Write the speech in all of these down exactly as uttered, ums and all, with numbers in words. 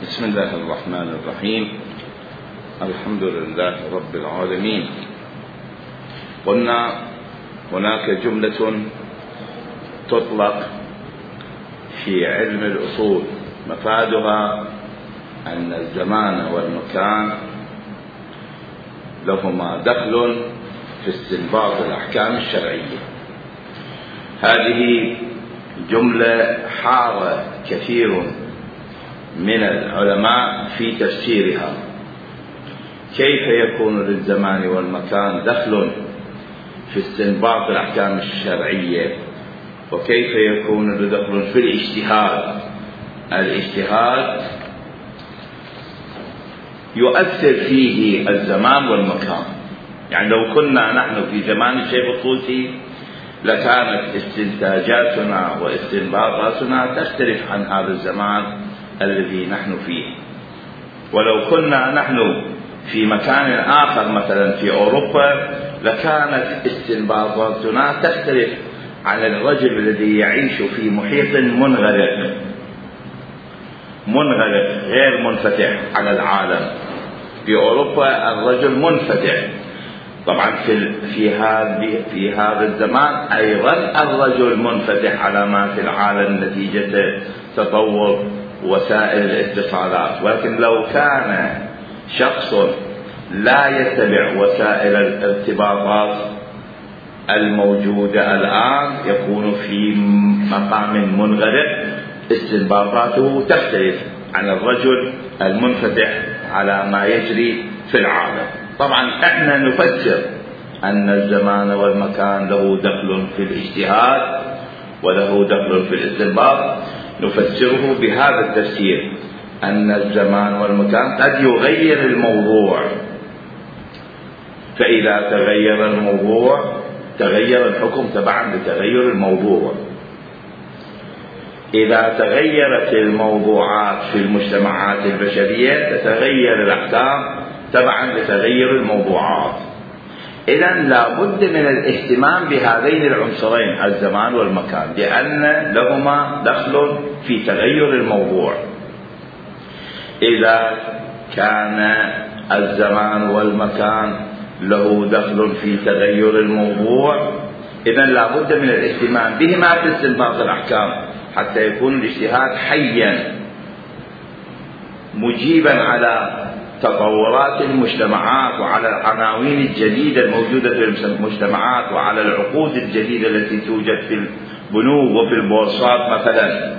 بسم الله الرحمن الرحيم. الحمد لله رب العالمين. قلنا هناك جملة تطلق في علم الأصول مفادها أن الزمان والمكان لهما دخل في استنباط الأحكام الشرعية. هذه جملة حار كثير من العلماء في تفسيرها. كيف يكون للزمان والمكان دخل في استنباط الأحكام الشرعية، وكيف يكون له دخل في الاجتهاد؟ الاجتهاد يؤثر فيه الزمان والمكان. يعني لو كنا نحن في زمان الشيخ الطوسي لكانت استنتاجاتنا واستنباطاتنا تختلف عن هذا الزمان الذي نحن فيه. ولو كنا نحن في مكان آخر مثلا في أوروبا لكانت استنباطاتنا تختلف عن الرجل الذي يعيش في محيط منغلق منغلق غير منفتح على العالم. في أوروبا الرجل منفتح. طبعا في في هذا في هذا الزمان أيضا الرجل منفتح على ما في العالم نتيجة تطور وسائل الاتصالات. ولكن لو كان شخص لا يتبع وسائل الارتباطات الموجودة الآن يكون في مقام منغلق، استنباطاته تختلف عن الرجل المنفتح على ما يجري في العالم. طبعا احنا نفسر أن الزمان والمكان له دخل في الاجتهاد وله دخل في الاستنباط. نفسره بهذا التفسير أن الزمان والمكان قد يغير الموضوع، فإذا تغير الموضوع تغير الحكم تبعا لتغير الموضوع. إذا تغيرت الموضوعات في المجتمعات البشرية تتغير الأحكام تبعا لتغير الموضوعات. إذن لا بد من الاهتمام بهذين العنصرين الزمان والمكان، لأن لهما دخل في تغير الموضوع. إذا كان الزمان والمكان له دخل في تغير الموضوع إذن لا بد من الاهتمام بهما في استنباط الأحكام حتى يكون الاجتهاد حيا مجيبا على تطورات المجتمعات وعلى العناوين الجديدة الموجودة في المجتمعات وعلى العقود الجديدة التي توجد في البنوك وفي البورصات مثلا.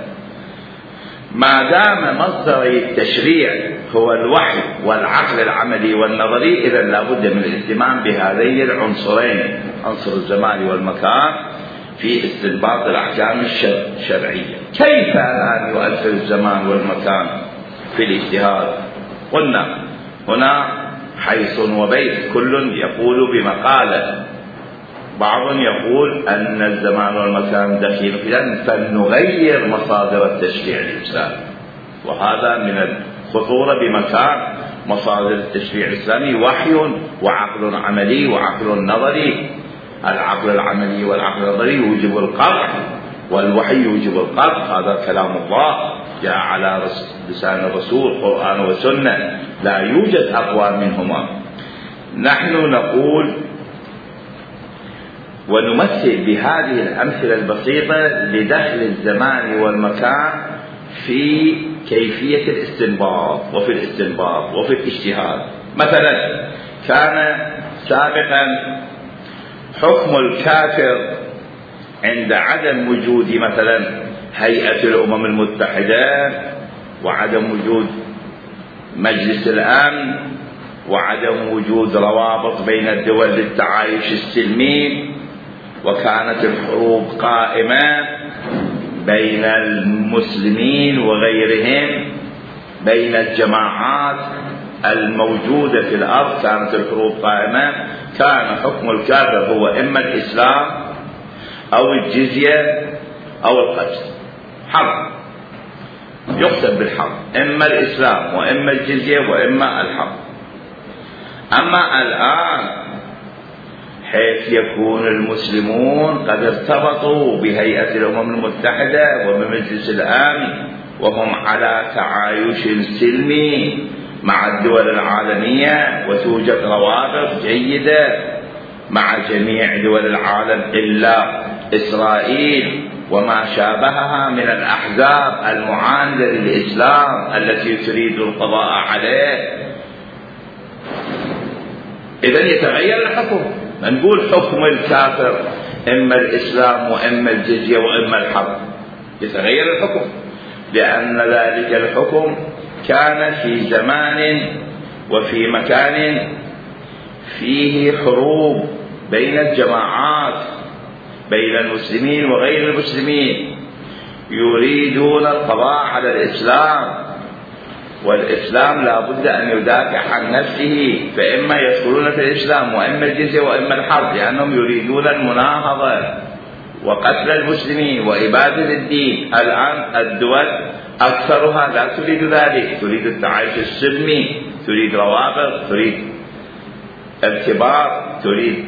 ما دام مصدر التشريع هو الوحي والعقل العملي والنظري إذن لا بد من الاهتمام بهذين العنصرين، عنصر الزمان والمكان، في استنباط الأحكام الشرعية. كيف الآن يؤثر الزمان والمكان في الاجتهاد؟ قلنا هنا حيث وبيت كل يقول بمقالة. بعض يقول أن الزمان والمكان دخيل في ذلك فنغير مصادر التشريع الإسلامي، وهذا من الخطورة بمكان مصادر التشريع الإسلامي وحي وعقل عملي وعقل نظري. العقل العملي والعقل النظري يوجب القطع والوحي يوجب القطع. هذا كلام الله جاء على لسان الرسول قرآن وسنة، لا يوجد أقوى منهما. نحن نقول ونمثل بهذه الأمثلة البسيطة لدخل الزمان والمكان في كيفية الاستنباط وفي الاستنباط وفي الاجتهاد. مثلا كان سابقا حكم الكافر عند عدم وجود مثلا هيئة الأمم المتحدة وعدم وجود مجلس الأمن وعدم وجود روابط بين الدول للتعايش السلمي، وكانت الحروب قائمة بين المسلمين وغيرهم، بين الجماعات الموجودة في الأرض كانت الحروب قائمة. كان حكم الكافر هو إما الإسلام أو الجزية أو القتل، حرب يقتل بالحرب، إما الإسلام وإما الجزية وإما الحرب. أما الآن حيث يكون المسلمون قد ارتبطوا بهيئة الأمم المتحدة وبمجلس الأمن وهم على تعايش سلمي مع الدول العالمية، وتوجد روابط جيدة مع جميع دول العالم إلا إسرائيل وما شابهها من الأحزاب المعاندة للإسلام التي تريد القضاء عليه. إذن يتغير الحكم، نقول حكم الكافر إما الإسلام وإما الجزية وإما الحرب، يتغير الحكم لأن ذلك الحكم كان في زمان وفي مكان فيه حروب بين الجماعات، بين المسلمين وغير المسلمين، يريدون القضاء على الإسلام، والإسلام لا بد أن يدافع عن نفسه، فإما يدخلون في الإسلام وإما الجزية وإما الحرب، لأنهم يريدون المناهضة وقتل المسلمين وإبادة الدين. الآن الدول أكثرها لا تريد ذلك، تريد التعايش السلمي، تريد روابط، تريد ارتباط، تريد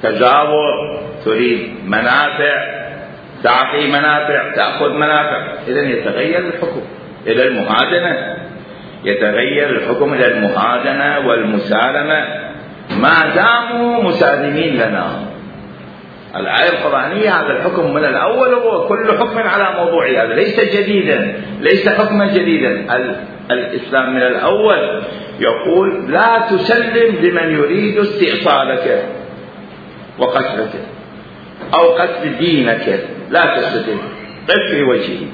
تجاور، تريد منافع، تعطي منافع، تأخذ منافع. إذن يتغير الحكم إلى المهادنة، يتغير الحكم إلى المهادنة والمسالمة ما داموا مسالمين لنا. الآية القرآنية هذا الحكم من الأول، هو كل حكم على موضوعه، هذا ليس جديدا، ليس حكما جديدا. الإسلام من الأول يقول لا تسلم لمن يريد استئصالك وقتلك أو قتل دينك، لا تستسلم، قف في وجهه،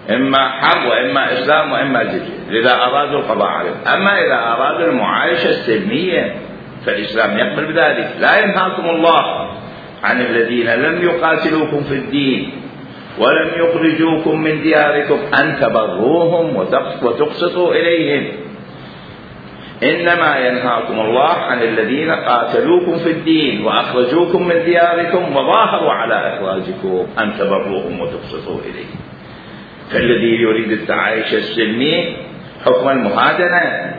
إما حرب وإما إسلام وإما جزية، إذا أرادوا القضاء عليه. أما إذا أرادوا المعايشة السلمية فالإسلام يقبل بذلك. لا ينهاكم الله عن الذين لم يقاتلوكم في الدين ولم يخرجوكم من دياركم أن تبروهم وتقسطوا إليهم، إنما ينهاكم الله عن الذين قاتلوكم في الدين وأخرجوكم من دياركم وظاهروا على إخراجكم أن تبروهم وتقسطوا إليهم. فالذي يريد التعايش السلمي حكم المهادنة،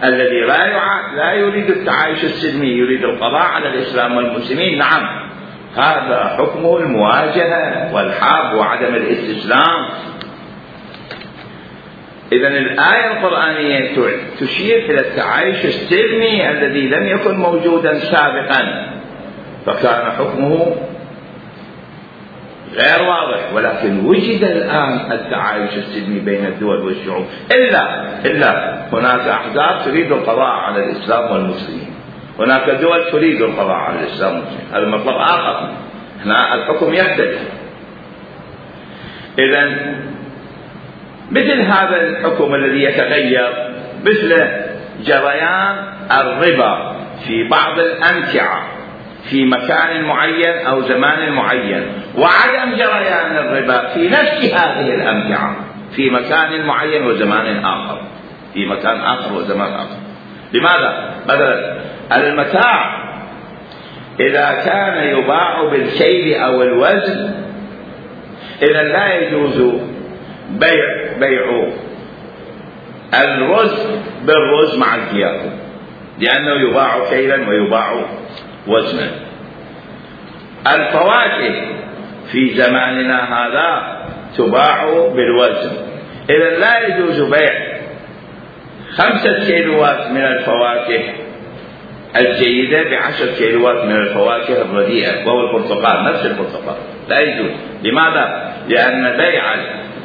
الذي لا يع... لا يريد التعايش السلمي يريد القضاء على الإسلام والمسلمين، نعم هذا حكمه المواجهة والحرب وعدم الاستسلام. إذن الآية القرآنية تشير إلى التعايش السلمي الذي لم يكن موجودا سابقا، فكان حكمه غير واضح، ولكن وجد الآن التعايش السلمي بين الدول والشعوب، إلا إلا هناك أحزاب تريد القضاء على الإسلام والمسلمين، هناك دول تريد القضاء على الإسلام والمسلمين، هذا مطلب آخر، هنا الحكم يختلف. إذن مثل هذا الحكم الذي يتغير، مثل جريان الربا في بعض الأمتعة في مكان معين أو زمان معين، وعدم جريان الربا في نفس هذه الأمتعة في مكان معين وزمان آخر، في مكان آخر وزمان آخر. لماذا؟ مثلا المتاع إذا كان يباع بالكيل أو الوزن إذا لا يجوز بيع بيع الرز بالرز مع الكياس، لأنه يباع كيلا ويباع وزنا. الفواكه في زماننا هذا تباع بالوزن، إذا لا يجوز بيع خمسة كيلوات من الفواكه الجيدة بعشر كيلوات من الفواكه الرديئة، وهو البرتقال، نفس البرتقال لا يجوز. لماذا؟ لأن بيع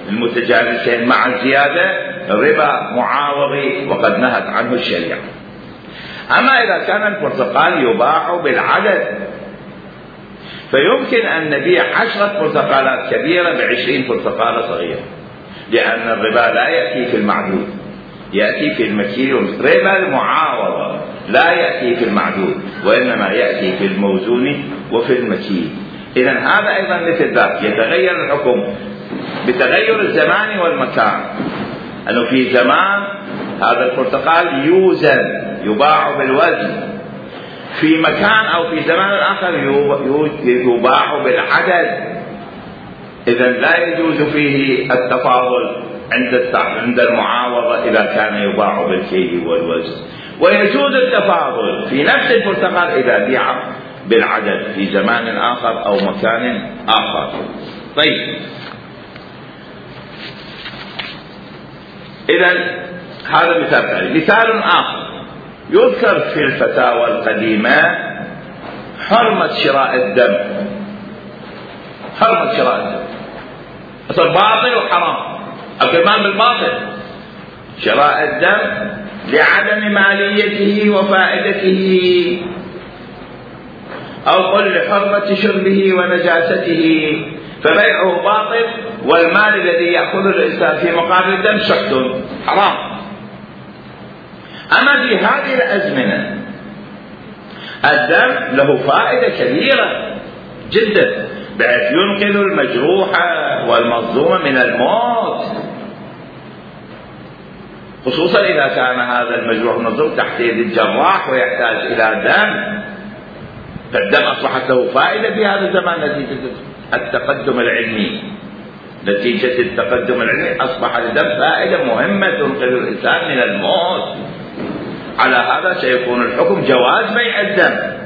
المتجانسين مع الزيادة ربا معاوضي وقد نهت عنه الشريعة. أما إذا كان البرتقال يباع بالعدد فيمكن أن نبيع عشرة برتقالات كبيرة بعشرين برتقالة صغيرة، لأن الربا لا يأتي في المعدود، يأتي في المكيل. ربا المعاوضة لا يأتي في المعدود وإنما يأتي في الموزون وفي المكيل. إذن هذا أيضا مثل ذلك، يتغير الحكم بتغير الزمان والمكان، أنه في زمان هذا البرتقال يوزن يباع بالوزن، في مكان أو في زمان آخر يباع بالعدد. إذن لا يجوز فيه التفاضل عند عند المعاوضة إذا كان يباع بالكيل والوزن، ويجوز التفاضل في نفس البرتقال إذا بيع بالعدد في زمان آخر أو مكان آخر. طيب إذا هذا مثال ثاني. مثال آخر يذكر في الفتاوى القديمة حرمة شراء الدم. حرمة شراء الدم أصل باطل وحرام، أكل مال بالباطل. شراء الدم لعدم ماليته وفائدته، أو قل لحرمة شربه ونجاسته، فبيعه باطل، والمال الذي يأخذه الإنسان في مقابل الدم سحت حرام. أما في هذه الأزمنة الدم له فائدة كبيرة جدا، بحيث ينقذ المجروح والمظلوم من الموت، خصوصا إذا كان هذا المجروح المظلوم تحت يد الجراح ويحتاج إلى دم، فالدم أصبحت له فائدة في هذا الزمان نتيجة التقدم العلمي. نتيجة التقدم العلمي أصبح الدم فائدة مهمة تنقذ الإنسان من الموت. على هذا سيكون الحكم جواز بيع الدم،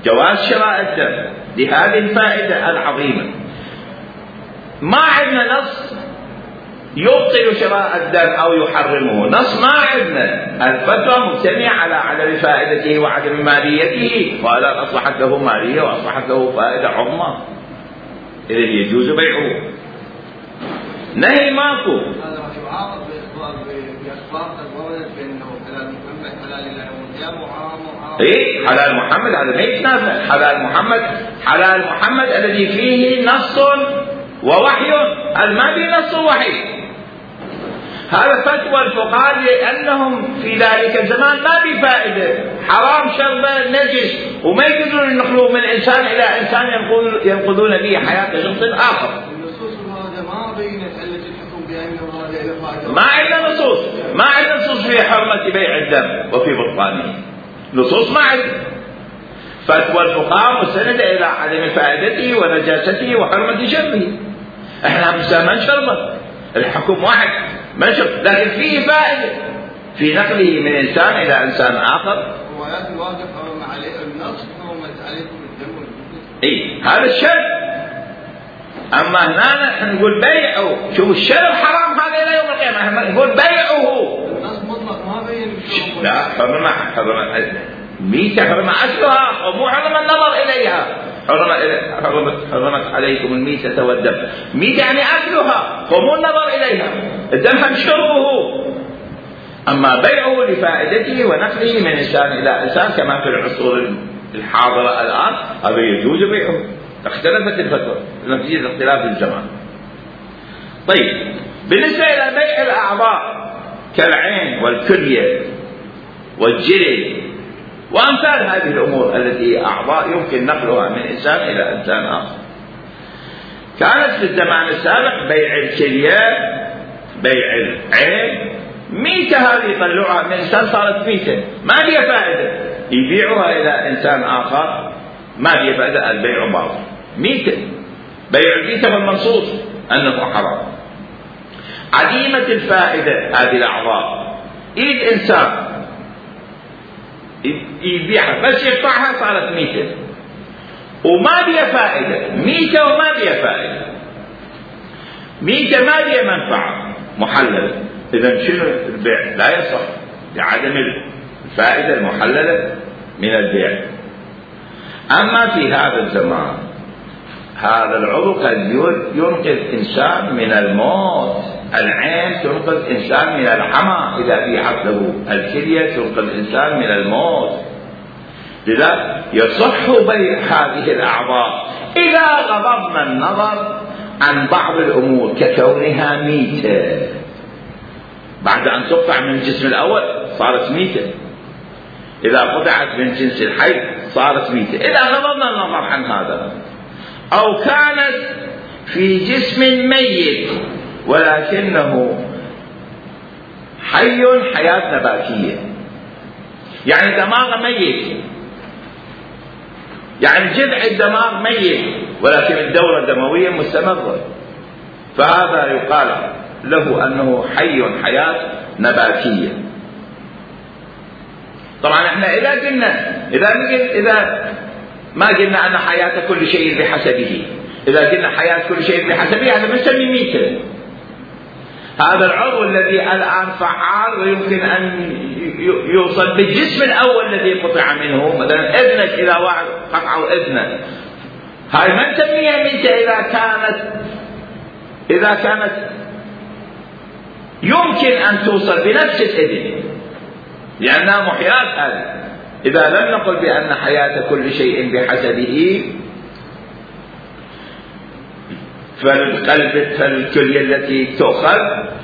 جواز شراء الدم لهذه الفائدة العظيمة. ما عندنا نص يبطل شراء الدم أو يحرمه، نص ما عندنا. الفتوى مجتمعة على عدم فائدته وعدم ماليته، ولا أصبحت له مالية وأصبحت له فائدة عظمى، إذن يجوز بيعه. نهي ماكو. إيه حلال محمد هذا ما يتنافى. حلال محمد حلال محمد الذي فيه نص ووحي، ما فيه نص ووحي. هذا فتوى الفقهاء لأنهم في ذلك الزمان ما في فائدة، حرام شربه نجس، وما يقدرون ينقلوه من إنسان إلى إنسان ينقذون به حياة شخص آخر. ما عندنا نصوص، ما عندنا نصوص في حرمة بيع الدم وفي بطلانه، نصوص ما عندنا. فتوى الفقهاء مستندة إلى عدم فائدته ونجاسته وحرمة شربه. احنا ما نشربه، الحكم واحد ما نشرب، لكن فيه فائدة في نقله من إنسان إلى إنسان آخر. روايات الواقف حرم عليه النص حرمت عليكم الدم والجثث. إيه هذا الشرب. أما هنا نحن نقول بيعه، شوف الشرب حرام هذا إلى يوم القيامة، احنا نقول بيعه. النص مطلق ما بين الشرب. لا حرم حرم ميتة، حرم أكلها ومو حرم النظر إليها. حرمت حرمت حرمت عليكم الميتة والدم. ميتة يعني أكلها ومو النظر إليها، الدم هم شربه. أما بيعه لفائدته ونقله من إنسان إلى إنسان كما في العصور الحاضرة الآن، هذا يجوز بيعه. اختلفت الفتوى نتيجة اختلاف الزمان. طيب بالنسبة إلى بيع الأعضاء كالعين والكلية والجلد وأمثال هذه الأمور التي هي أعضاء يمكن نقلها من إنسان إلى إنسان آخر، كانت في الزمان السابق بيع الكلية، بيع العين، ميتة هذه يطلعها من إنسان صارت ميتة ما لها فائدة، يبيعها إلى إنسان آخر ما لها فائدة، البيع باطل. ميتة بيع الميتة فالمنصوص أنه حرام. عديمة الفائدة هذه الأعضاء، إيد إنسان يبيعها بس يقطعها صارت ميتة وما بيها فائدة، ميتة وما بيها فائدة، ميتة ما بيها منفعة محللة. إذا شنو البيع؟ لا يصح لعدم الفائدة المحللة من البيع. أما في هذا الزمان هذا العضو قد ينقذ إنسان من الموت، العين تنقذ إنسان من العمى إذا بيعت له، الكلية تنقذ إنسان من الموت. لذا يصح بيع هذه الأعضاء إذا غضبنا النظر عن بعض الأمور ككونها ميتة، بعد أن تقطع من الجسم الأول صارت ميتة، إذا قطعت من جنس الحي صارت ميتة، إذا غضبنا النظر عن هذا. أو كانت في جسم ميت ولكنه حي حياة نباتية، يعني دماغ ميت، يعني جذع الدماغ ميت ولكن الدورة الدموية مستمرة، فهذا يقال له أنه حي حياة نباتية. طبعا احنا إذا قلنا إذا إذا ما قلنا أن حياة كل شيء بحسبه، إذا قلنا حياة كل شيء بحسبه هذا بنسميه ميتة. هذا العضو الذي الآن فعال ويمكن أن يوصل بالجسم الأول الذي قطع منه. مثلا إذنك، إذا واحد قطعوا إذنك، هاي ما نسميها ميتة إذا كانت إذا كانت يمكن أن توصل بنفس الإذن، لأنها محياة. هذه إذا لم نقل بأن حياة كل شيء بحسبه، فالقلب فالكلية التي تؤخذ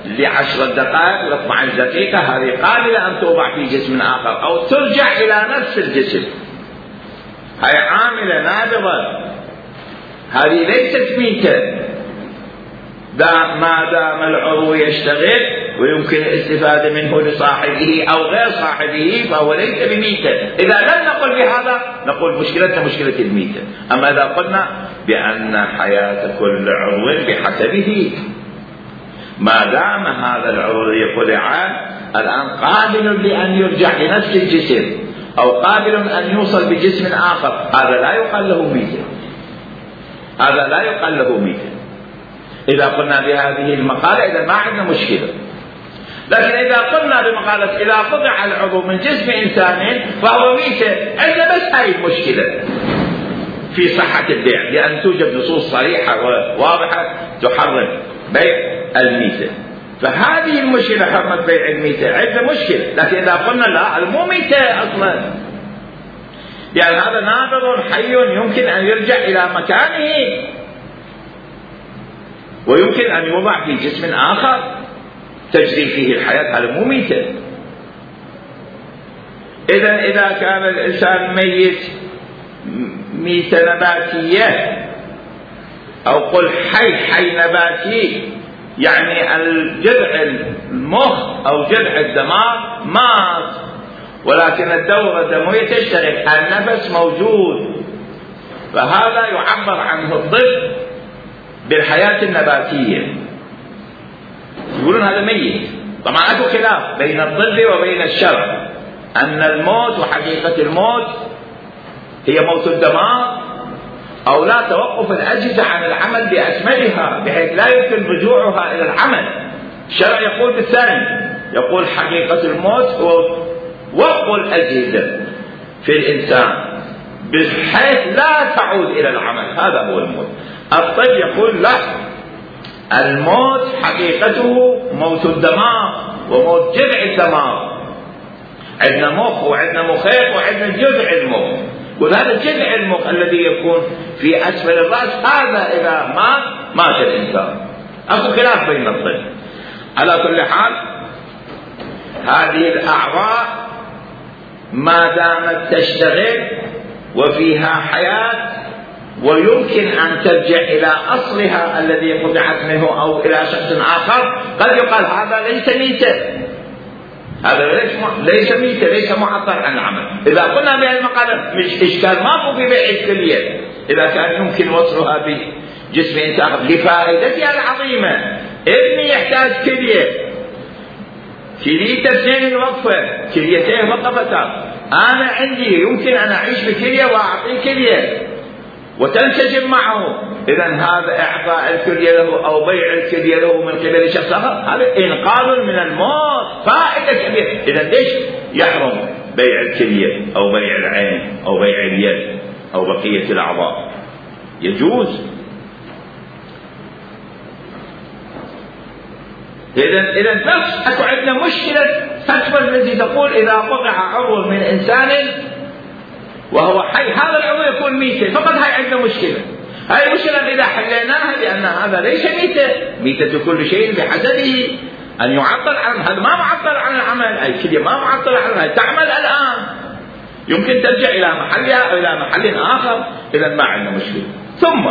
لعشر دقائق لاثنى عشر دقيقة هذه قابلة أن توضع في جسم آخر أو ترجع إلى نفس الجسم. هاي عاملة نابضة، هذه ليست ميتة ما دام العضو يشتغل ويمكن الاستفادة منه لصاحبه أو غير صاحبه، فهو ليس بميتة. إذا لم نقل بهذا نقول مشكلتنا مشكلة الميتة. أما إذا قلنا بأن حياة كل عضو بحسبه، ما دام هذا العضو قطع الآن قابل لأن يرجع لنفس الجسم أو قابل أن يوصل بجسم آخر، هذا لا يقال له ميتة، هذا لا يقال له ميتة. إذا قلنا بهذه المقالة إذا ما عندنا مشكلة. لكن إذا قلنا بمقالة إذا قطع العضو من جسم إنسان فهو ميتة، عندنا بس هاي المشكلة في صحة البيع، لأن توجد نصوص صريحة وواضحة تحرم بيع الميتة. فهذه المشكلة حرمة بيع الميتة عندنا مشكلة. لكن إذا قلنا لا المو ميتة أصلا، يعني هذا نابض حي يمكن أن يرجع إلى مكانه ويمكن أن يوضع في جسم آخر تجري فيه الحياة، هذا مو ميتة. إذا إذا كان الإنسان ميت ميتة نباتية أو قل حي حي نباتي، يعني الجذع المخ أو جذع الدماغ مات ولكن الدورة الدموية تشتغل، النفس موجود، فهذا يعبر عنه الطب بالحياة النباتية، يقولون هذا ميت. طبعا أكو خلاف بين الطب وبين الشرع، أن الموت وحقيقة الموت هي موت الدماغ أو لا توقف الأجهزة عن العمل بأكملها بحيث لا يمكن رجوعها إلى العمل. الشرع يقول بالثاني، يقول حقيقة الموت هو وقف الأجهزة في الإنسان بحيث لا تعود إلى العمل، هذا هو الموت. الطب يقول لا، الموت حقيقته موت الدماغ وموت جذع الدماغ. عندنا مخ وعندنا مخيخ وعندنا جذع المخ، وهذا جذع المخ الذي يكون في أسفل الرأس، هذا إذا مات مات الإنسان. أكو خلاف بين الطب. على كل حال هذه الأعضاء ما دامت تشتغل وفيها حياة ويمكن أن ترجع إلى أصلها الذي قطعت منه أو إلى شخص آخر، قد يقال هذا ليس ميتة، هذا ليس ميتة، ليس معطل عن العمل. إذا قلنا بهذه المقالة مش إشكال ماكو في بيع الكلية إذا كان يمكن وصلها بجسم إنسان لفائدتها العظيمة. ابني يحتاج كلية، كليته اثنين الوقفة، كليتين وقفتان، أنا عندي يمكن أن أعيش بكلية وأعطيه كلية وتنسجم معه. إذا هذا إعطاء الكلية له أو بيع الكلية له من قبل شخص آخر، هذا إنقاذ من الموت، فائدة كبيرة. إذا ليش يحرم بيع الكلية أو بيع العين أو بيع اليد أو بقية الأعضاء؟ يجوز. إذا إذا بس أكو عندنا مشكلة فتوى الذي تقول إذا قطع عضو من إنسان وهو حي هذا العضو يكون ميتة، فقط هاي عندنا مشكلة. هاي المشكلة إذا حليناها لأن هذا ليس ميتة، ميتة كل شيء بحسبه، أن يعطل عن هذا ما معطل عن العمل، أي كلية ما معطل عن العمل، تعمل الآن يمكن ترجع إلى محلها أو إلى محل آخر. إذا ما عندنا مشكلة. ثم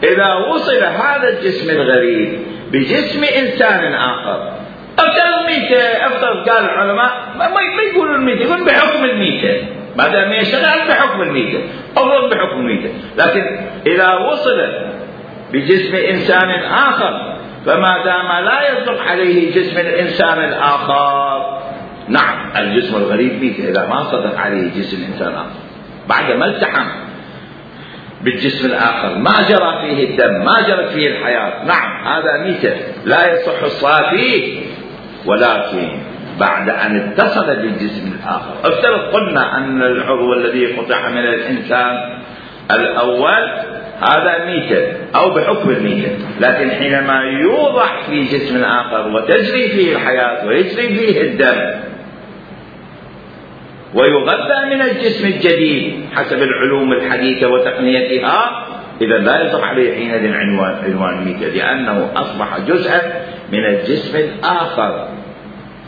إذا وصل هذا الجسم الغريب بجسم إنسان آخر أفترض ميتة، أفترض قال العلماء ما يقولون الميتة، يقولون بحكم الميتة، ما دام يشتغل بحكم الميتة، أفرض بحكم الميتة. لكن إذا وصل بجسم إنسان آخر فما دام لا يصدق عليه جسم الإنسان الآخر، نعم الجسم الغريب ميتة إذا ما صدق عليه جسم إنسان آخر بعد ما التحم. بالجسم الآخر، ما جرى فيه الدم، ما جرت فيه الحياة، نعم هذا ميتة لا يصح الصلاة فيه، ولكن بعد أن اتصل بالجسم الآخر. افترض قلنا أن العضو الذي قطع من الإنسان الأول هذا ميتة أو بحكم الميتة، لكن حينما يوضع في جسم آخر وتجري فيه الحياة ويجري فيه الدم ويغذى من الجسم الجديد حسب العلوم الحديثة وتقنيتها، إذا لا يصح عليه حينئذ عنوان عنوان ميتة، لأنه أصبح جزءا من الجسم الآخر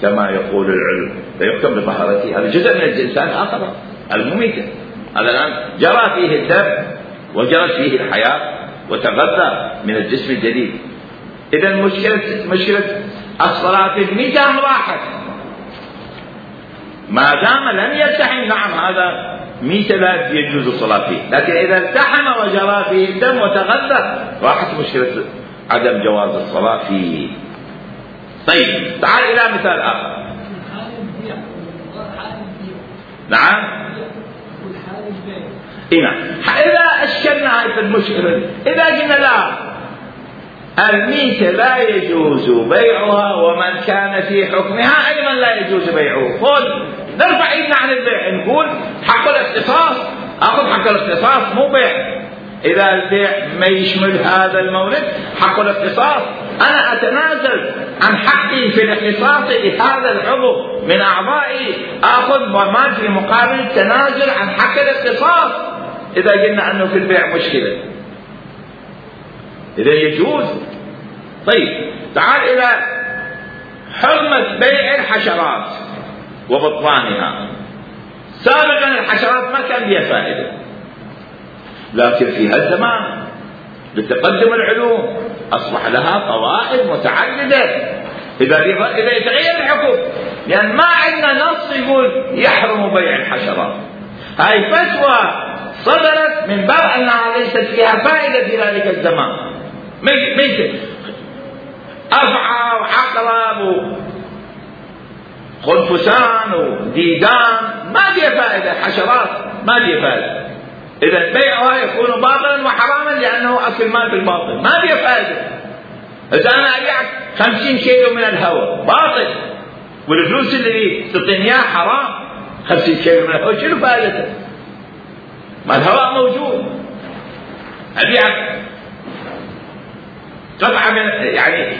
كما يقول العلم، فيحكم بطهارته. هذا جزء من الإنسان الآخر المميتة، هذا الآن جرى فيه الدم وجرت فيه الحياة وتغذى من الجسم الجديد. إذا مشكلة مشكلة الصلاة الميتة راحت ما دام لم يلتحم. نعم هذا ميتة لا يجوز الصلاة فيه، لكن إذا التحم وجرى فيه الدم وتغذى راحت مشكلة عدم جواز الصلاة فيه. طيب تعال إلى مثال آخر. نعم إيه، إذا أشكلنا هذه المشكلة، إذا قلنا لا الميتة لا يجوز بيعها ومن كان في حكمها أيضا لا يجوز بيعه، قل نرفع إيدنا عن البيع، نقول حق الاختصاص، أخذ حق الاختصاص مو بيع. إذا البيع ما يشمل هذا المورد حق الاختصاص، أنا أتنازل عن حقي في الاختصاص لهذا العضو من أعضائي، أخذ وما في مقابل التنازل عن حق الاختصاص. إذا قلنا أنه في البيع مشكلة إذا يجوز. طيب تعال إلى حرمة بيع الحشرات وبطلانها. سابقا الحشرات ما كان لها فائدة، لكن في هالزمان بتقدم العلوم أصبح لها فوائد متعددة. إذا إذا يتغير الحكم، لأن ما عندنا نص يقول يحرم بيع الحشرات، هاي فتوى صدرت من باب أنها ليست فيها فائدة في ذلك الزمان. مثل أفعى وعقرب وخنفسان وديدان ما فيها فائدة، حشرات ما فيها فائدة. إذا بيعها يكون باطلا وحراما لأنه أكل مال بالباطل، ما فيها فائدة. إذا أنا أبيعك خمسين كيلو من الهواء باطل، والفلوس اللي تعطيني إياها حرام، خمسين كيلو من الهواء شنو فائدته؟ ما الهواء موجود. أبيعك قطعة من يعني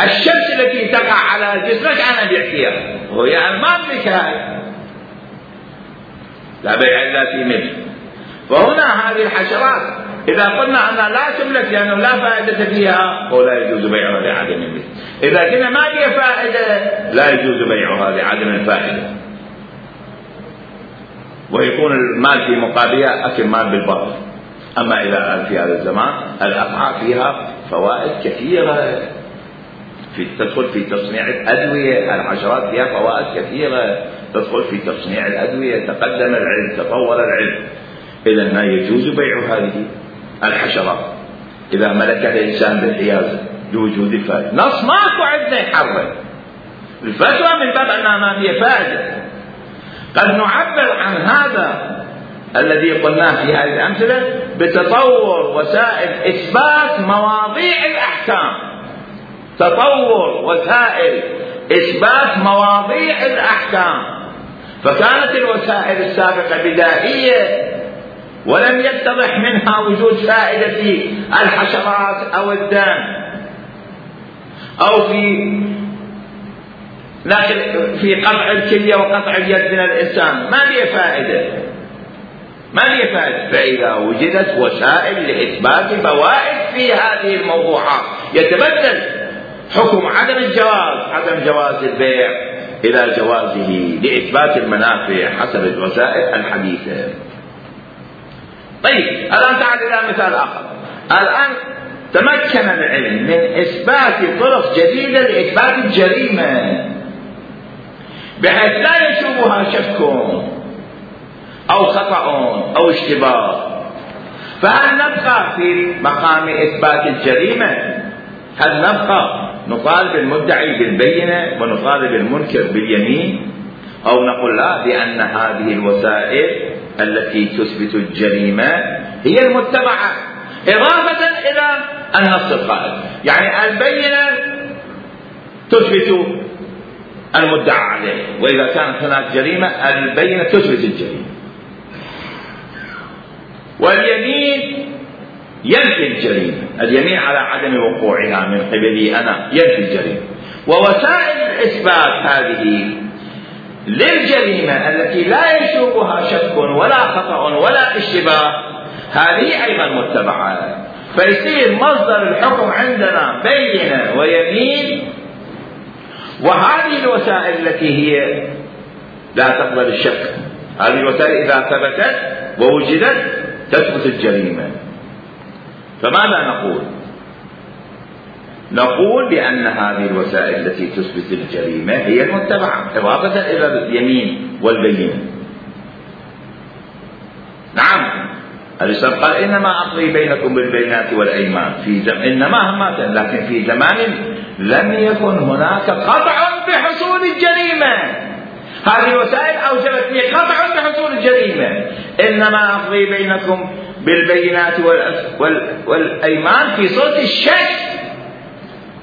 الشمس التي تقع على جسمك أنا أبيع فيها، وهي أنا ما أملكها، لا بيع إلا في ملك. فهنا هذه الحشرات إذا قلنا أنها لا تملك لأنه لا فائدة فيها ولا يجوز بيعها لعدم الملك. إذا قلنا ما فيها فائدة لا يجوز بيعها لعدم الفائدة، ويكون المال في مقابلها أكل مال بالباطل. أما إذا في هذا الزمان الأفعى فيها فوائد كثيرة، في تدخل في تصنيع الأدوية، الحشرات فيها فوائد كثيرة تدخل في تصنيع الأدوية، تقدم العلم، تطور العلم. إذا لا يجوز بيع هذه الحشرات إذا ملكها الإنسان بالحيازة لوجود الفائدة. نص ماكو عندنا يحرم، الفتوى من باب أنها ما فيها فائدة. قد نعبر عن هذا الذي قلناه في هذه الأمثلة بتطور وسائل إثبات مواضيع الأحكام، تطور وسائل إثبات مواضيع الأحكام. فكانت الوسائل السابقة بدائية ولم يتضح منها وجود فائدة في الحشرات أو الدم أو في لكن في قطع الكلية وقطع اليد من الإنسان ما ليه فائدة، ما ليه فائدة. فإذا وجدت وسائل لإثبات فوائد في هذه الموضوعات يتبدل حكم عدم الجواز عدم جواز البيع إلى جوازه لإثبات المنافع حسب الوسائل الحديثة. طيب الآن تعال إلى مثال آخر. الآن تمكن العلم من إثبات طرق جديدة لإثبات الجريمة بحيث لا يشوبها شك أو خطأ أو اشتباه. فهل نبقى في مقام إثبات الجريمة؟ هل نبقى نطالب المدعي بالبينة ونطالب المنكر باليمين، أو نقول لا بأن هذه الوسائل التي تثبت الجريمة هي المتبعة إضافة إلى النص القائم. يعني البينة تثبت المدعى عليه، وإذا كانت هناك جريمة البينة تثبت الجريمة، واليمين ينفي الجريمة، اليمين على عدم وقوعها من قبلي أنا ينفي الجريمة. ووسائل الإثبات هذه للجريمة التي لا يشوبها شك ولا خطأ ولا اشتباه هذه أيضا متبعة، فيصير مصدر الحكم عندنا بينة ويمين، وهذه الوسائل التي هي لا تقبل الشك، هذه الوسائل إذا ثبتت ووجدت تثبت الجريمة. فماذا نقول؟ نقول بأن هذه الوسائل التي تثبت الجريمة هي المتبعة إضافة إلى اليمين والبينة. نعم، الإسلام قال إنما أقضي بينكم بالبينات والأيمان في زم... إنما همات، لكن في زمان لم يكن هناك قطع بحصول الجريمة. هذه الوسائل أوجبت لي قطع بحصول الجريمة. إنما أقضي بينكم بالبينات والأس... وال... والأيمان في صورة الشك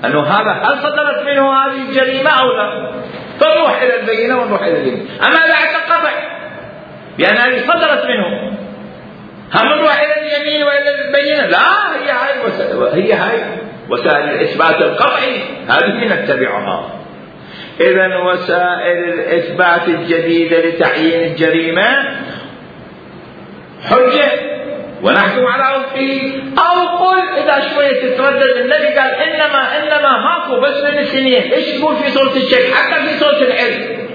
أنه هذا هل صدرت منه هذه الجريمة أو لا، فنروح إلى البينة ونروح إلى اليمين. أما بعد القطع بأن هذه صدرت منه هم نروح إلى اليمين وإلى البينة؟ لا، هي هاي وسائل، هي هاي وسائل الإثبات القطعي هذه نتبعها. إذن وسائل الإثبات الجديدة لتعيين الجريمة حجة ونحكم على وفقه، أو قل إذا شوية تتردد النبي قال إنما إنما ماكو بس من السنين، إيش يقول في صورة الشك حتى في صورة العلم؟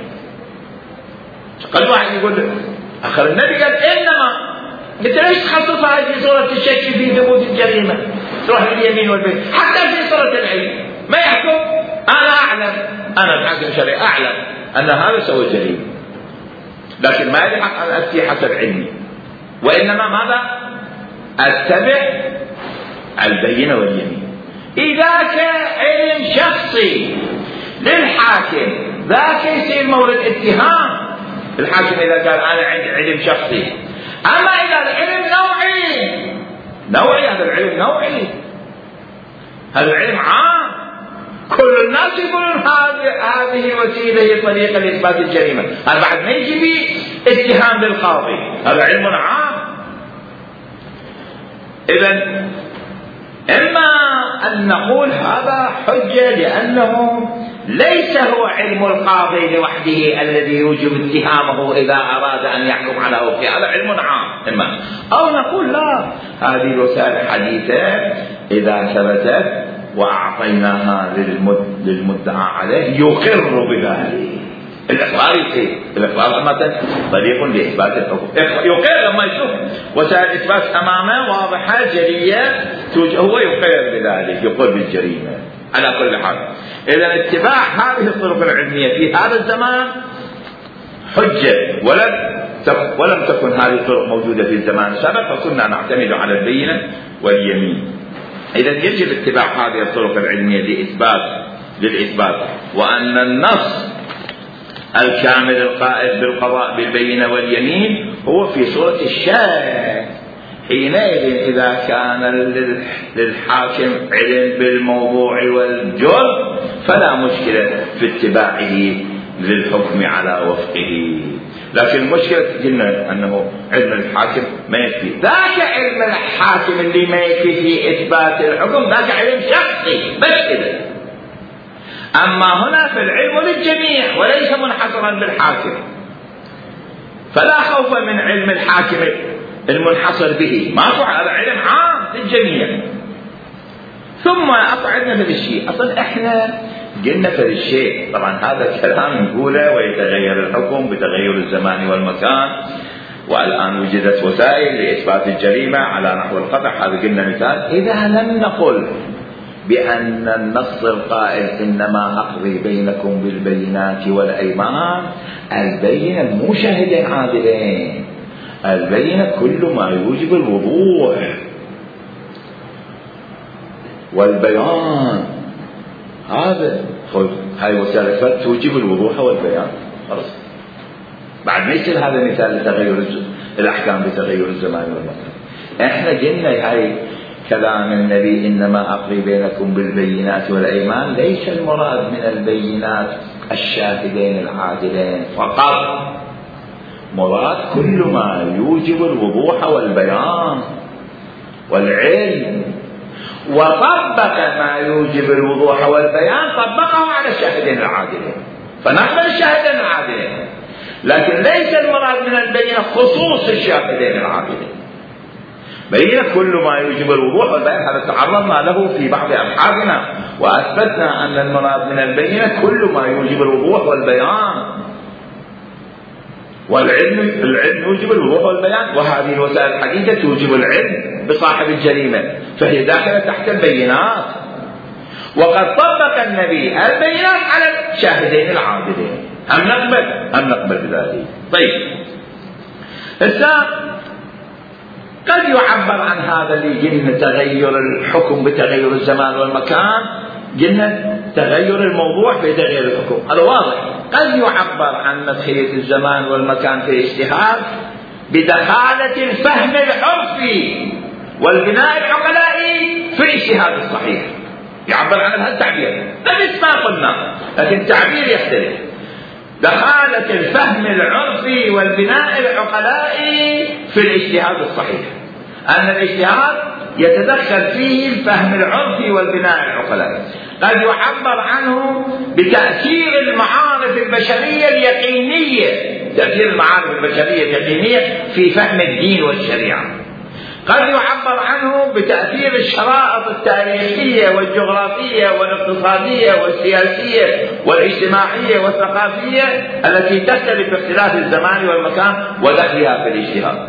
قد واحد يقول آخر النبي قال إنما، أنت ليش تخصص هذه في صورة الشك في ثبوت الجريمة؟ تروح اليمين والبيت حتى في صورة العلم ما يحكم. أنا أعلم، أنا الحاكم الشرعي أعلم أن هذا سوى الجريمة، لكن ما يلحق أن أفتي حسب علمي، وإنما ماذا؟ أتبع البينة واليمين. إذا كان علم شخصي للحاكم ذاك يصير مورد اتهام الحاكم إذا قال أنا عندي علم شخصي. أما إذا العلم نوعي، نوعي هذا العلم نوعي، هذا العلم عام، كل الناس يقولون هذه الوسيلة هي طريقة لإثبات الجريمة، هذا بعد ما يجي به اتهام للقاضي، هذا علم عام. إذن إما أن نقول هذا حجة لأنه ليس هو علم القاضي لوحده الذي يوجب اتهامه إذا أراد أن يحكم على وفقه، هذا علم عام. إما أو نقول لا، هذه الوسائل الحديثة إذا ثبتت وأعطيناها للمدعى عليه يقر بذلك. الإقرار يصير، الإقرار مثلا طريق لإثبات الحكم، يقر لما يشوف وسائل الإثبات أمامه واضحة جلية هو يقر بذلك، يقر بالجريمة على كل حال. إذا اتباع هذه الطرق العلمية في هذا الزمان حجة، ولم ولم تكن هذه الطرق موجودة في الزمان السابق، فكنا نعتمد على البينة واليمين. إذا يجب اتباع هذه الطرق العلمية لإثبات للإثبات وأن النص الكامل القائل بالقضاء بالبينة واليمين هو في صورة الشك. حينئذ إذا كان للحاكم علم بالموضوع والجرم فلا مشكلة في اتباعه للحكم على وفقه. لكن المشكلة قلنا أنه علم الحاكم ما يكفي، ذاك علم الحاكم اللي ما يكفي في إثبات الحكم ذاك علم شخصي بس كده. أما هنا في العلم للجميع وليس منحصرا بالحاكم، فلا خوف من علم الحاكم المنحصر به، ما هذا علم عام للجميع. ثم أقعدنا في الشيء، أصلا إحنا قلنا في الشيء، طبعا هذا الكلام نقوله ويتغير الحكم بتغير الزمان والمكان، والآن وجدت وسائل لإثبات الجريمة على نحو القطع، هذا قلنا مثال. إذا لم نقل بأن النص القائل إنما أقضي بينكم بالبينات والأيمان، البينة مو شاهدين عادلين، البينة كل ما يوجب الوضوح والبيان، هذا هاي وسائل توجب الوضوح والبيان خلاص. بعد ما يصير هذا مثال لتغير الأحكام بتغير الزمان والمكان. احنا قلنا هاي كلام النبي إنما أقضي بينكم بالبينات والأيمان، ليس المراد من البينات الشاهدين العادلين فقط، مراد كل ما يوجب الوضوح والبيان والعلم، وطبق ما يوجب الوضوح والبيان طبقه على الشاهدين العادلين، فنقبل الشاهدين العادلين، لكن ليس المراد من البينة خصوص الشاهدين العادلين. بينة كل ما يوجب الوضوح والبيان، هذا تعرضنا له في بعض أبحاثنا وأثبتنا أن المراد من البينة كل ما يوجب الوضوح والبيان، والعلم العلم يوجب الوضوح والبيان، وهذه الوسائل الحديثة توجب العلم بصاحب الجريمة، فهي داخلة تحت البينات. وقد طبق النبي البينات على الشاهدين العادلين. هم نقبل هم نقبل بذلك. طيب هسه قد يعبر عن هذا اللي قلنا تغير الحكم بتغير الزمان والمكان، قلنا تغير الموضوع بتغير الحكم، هذا واضح. قد يعبر عن مدخلية الزمان والمكان في الاجتهاد بدخالة الفهم العرفي والبناء العقلائي في الاجتهاد الصحيح، يعبر عن هذا التعبير، نفس ما قلنا لكن التعبير يختلف. دخالة الفهم العرفي والبناء العقلائي في الاجتهاد الصحيح، أن الاجتهاد يتدخل فيه الفهم العرفي والبناء العقلائي. قد يعبر عنه بتأثير المعارف البشرية اليقينية، تأثير المعارف البشرية اليقينية في فهم الدين والشريعة. قد يعبر عنه بتأثير الشرائط التاريخية والجغرافية والاقتصادية والسياسية والاجتماعية والثقافية التي تختلف باختلاف الزمان والمكان ودخلها في الاجتهاد.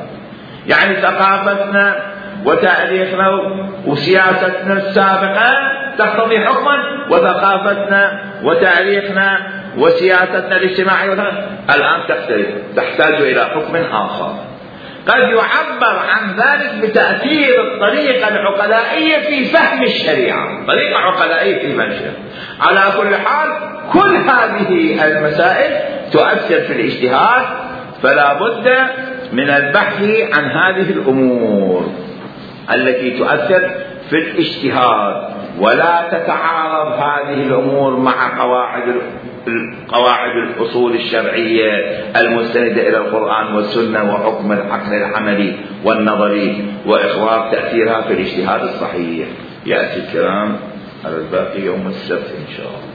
يعني ثقافتنا وتاريخنا وسياستنا السابقة تقتضي حكما، وثقافتنا وتاريخنا وسياستنا الاجتماعية الآن تختلف، تحتاج إلى حكم آخر. قد يعبر عن ذلك بتأثير الطريقة العقلائية في فهم الشريعة، طريقة عقلائية في فهم الشريعة. على كل حال كل هذه المسائل تؤثر في الاجتهاد، فلا بد من البحث عن هذه الأمور التي تؤثر في الاجتهاد، ولا تتعارض هذه الأمور مع قواعد قواعد الأصول الشرعية المستندة إلى القرآن والسنة وحكم العقل العملي والنظري وإخراج تأثيرها في الاجتهاد الصحيح. يأتي الكلام على الباقي يوم السبت إن شاء الله.